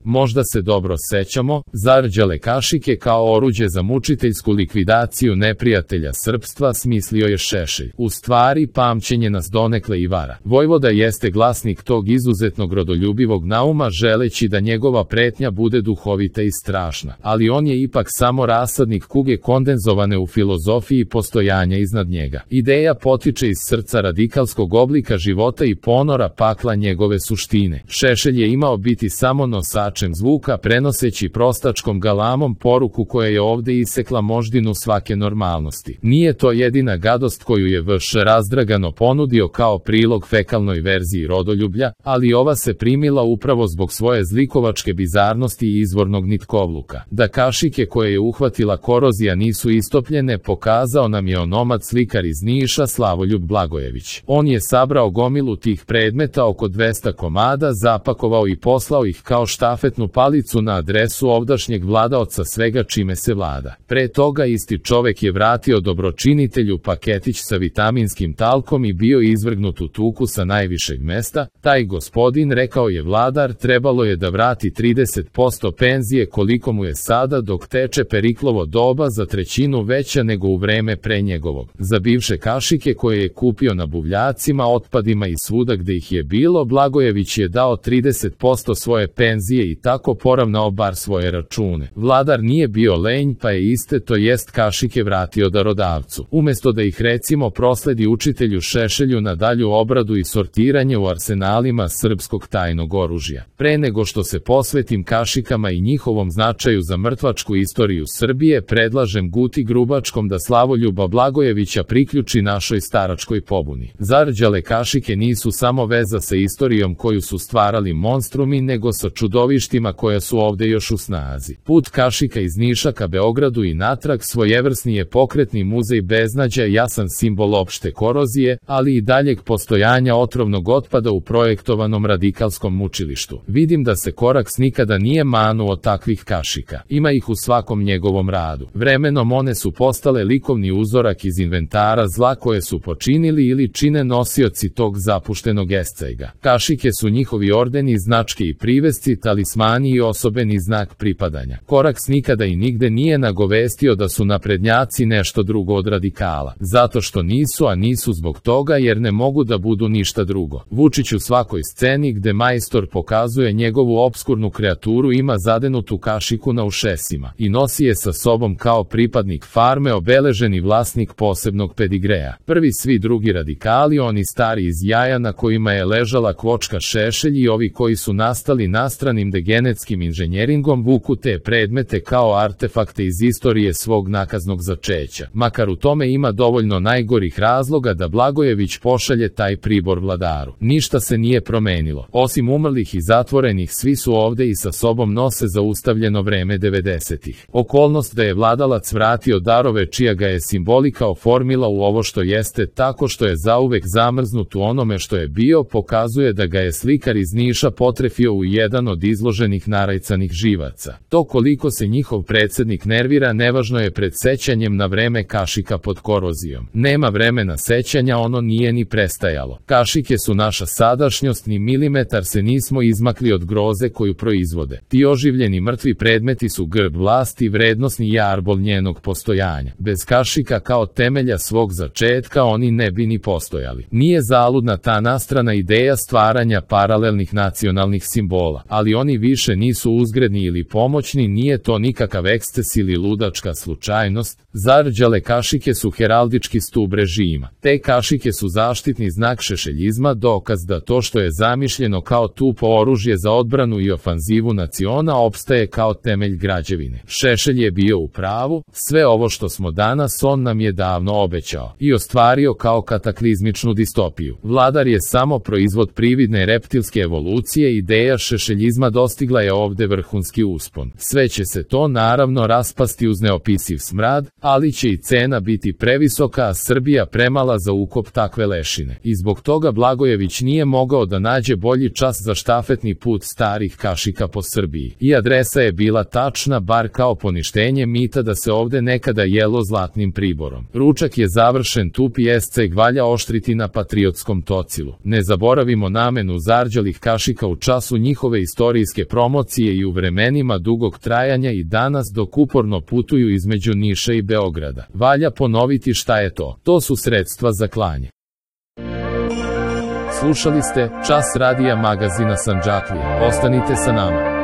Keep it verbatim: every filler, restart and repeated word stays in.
Možda se dobro sećamo, zarđale kašike kao oruđe za mučiteljsku likvidaciju neprijatelja srpstva smislio je Šešelj. U stvari, pamćenje nas donekle i vara. Vojvoda jeste glasnik tog izuzetnog rodoljubivog nauma, želeći da njegova pretnja bude duhovita i strašna, ali on je ipak samo rasadnik kuge kondenzovane u filozofiji postojanja iznad njega. Ideja potiče iz srca radikalskog oblika života i ponora pakla njegove suštine. Šešelj je imao biti samo nosačem zvuka, prenoseći prostačkom galamom poruku koja je ovde isekla moždinu svake normalnosti. Nije to jedina gadost koju je V Š razdragano ponudio kao prilog fekalnoj verziji rodoljublja, ali ova se primila upravo zbog svoje zlikovačke bizarnosti i izvornog nitkovluka. Da kašike koje je uhvatila korozija nisu istopljene, pokazao nam je onomad slikar iz Niša Slavoljub Blagojević. On je sabrao gomilu tih predmeta, oko dvesta komada, zapakovao i poslao ih kao štafetnu palicu na adresu ovdašnjeg vladaoca svega čime se vlada. Pre toga isti čovek je vratio dobročinitelju paketić sa vitaminskim talkom i bio izvrgnut u tuku sa najvišeg mesta. Taj gospodin, rekao je vladar, trebalo je da vrati trideset posto penzije koliko mu je sada dok teče Periklovo doba, za trećinu veća nego u vreme pre njegovog. Za bivše kašike koje je kupio na buvljacima, otpadima i svuda gde ih je bilo, Blagojević je dao trideset posto svoje penzije i tako poravnao bar svoje račune. Vladar nije bio lenj, pa je iste, to jest kašike, vratio darodavcu. Umesto da ih recimo prosledi učitelju Šešelju na dalju obradu i sortiranje u arsenalima srpskog tajnog oružja. Pre nego što se posvetim kašikama i njihovom značaju za mrtvačku istoriju Srbije, predlažem Guti Grubačkom da Slavoljuba Blagojevića priključi našoj staračkoj pobuni. Zarđale kašike nisu samo veza sa istorijom koju su stvarali monstrumi, nego sa čudovištima koja su ovde još u snazi. Put kašika iz Niša ka Beogradu i natrag svojevrsni je pokretni muzej beznađa, jasan simbol opšte korozije, ali i daljeg postojanja otrovnog otpada u projektovanom radikalskom mučilištu. Vidim da se Koraks nikada nije manuo takvih kašika. Ima ih u svakom njegovom radu. Vremenom one su postale likovni uzorak iz inventara zla koje su počinili ili čine nosioci tog zapuštenog escejga. Kašike su njihovi ordeni, značke i privesci, talismani i osobeni znak pripadanja. Koraks nikada i nigde nije nagovestio da su naprednjaci nešto drugo od radikala. Zato što nisu, a nisu zbog toga jer ne mogu da budu ništa drugo. Vučić u svakoj sceni gde majstor pokazuje njegovu obskurnu kreaturu ima zadenutu kašiku na ušesima i nosi je sa sobom kao pripadnik farme, obeleženi vlasnik posebnog pedigreja. Prvi svi drugi radikali, oni stari iz jaja na kojima je ležala kvočka Šešelj i ovi koji su nastali nastranim degenetskim inženjeringom, vuku te predmete kao artefakte iz istorije svog nakaznog začeća. Makar u tome ima dovoljno najgorih razloga da Blagojević pošalje taj pribor vladaru. Ništa se nije promenilo. Osim umrlih i zatvorenih, svi su ovde i sa sobom nose zaustavljeno vreme devedesetih. Okolnost da je vladalac vratio darove čija ga je simbolika oformila u ovo što jeste, tako što je zauvek zamrznut u onome što je bio, pokazuje da ga je slikar iz Niša potrefio u jedan od izloženih narajcanih živaca. To koliko se njihov predsednik nervira nevažno je pred sećanjem na vreme kašika pod korozijom. Nema vremena sećanja, ono nije ni prestajalo. Kašike su naša sadašnjost, ni milimetar se nismo izmakli od groze koju proizvode. Ti oživljeni mrtvi predmeti su grb vlasti, vrednosni jarbol njenog postojanja. Bez kašika kao temelja svog začetka oni ne bi ni postojali. Nije zaludna ta nastrana ideja stvaranja paralelnih nacionalnih simbola, ali oni više nisu uzgredni ili pomoćni, nije to nikakav eksces ili ludačka slučajnost. Zarđale kašike su heraldički stub režima. Te kašike su zaštitni znak šešeljizma, dokaz da to što je zamišljeno kao tupo oružje za odbranu i ofanzivu naciona opstaje kao temelj građevine. Šešelj je bio u pravu, sve ovo što smo danas on nam je davno obećao i ostvario kao kataklizmičnu distopiju. Vladar je samo proizvod prividne reptilske evolucije, ideja šešeljizma dostigla je ovde vrhunski uspon. Sve će se to naravno raspasti uz neopisiv smrad, ali će i cena biti previsoka, a Srbija premala za ukop takve lešine. I zbog toga Blagojević nije mogao da nađe bolji čas za štafetni put starih kašika po Srbiji. I adresa je bila tačna, bar kao poništenje mita da se ovde nekada jelo zlatnim priborom. Ručak je završen, tupi esceg valja oštriti na patriotskom tocilu. Ne zaboravimo namenu zarđalih kašika u času njihove istorijske akcijske promocije i u vremenima dugog trajanja i danas dok uporno putuju između Niša i Beograda. Valja ponoviti šta je to. To su sredstva za klanje. Slušali ste Čas radija magazina Sandžaklija. Ostanite sa nama.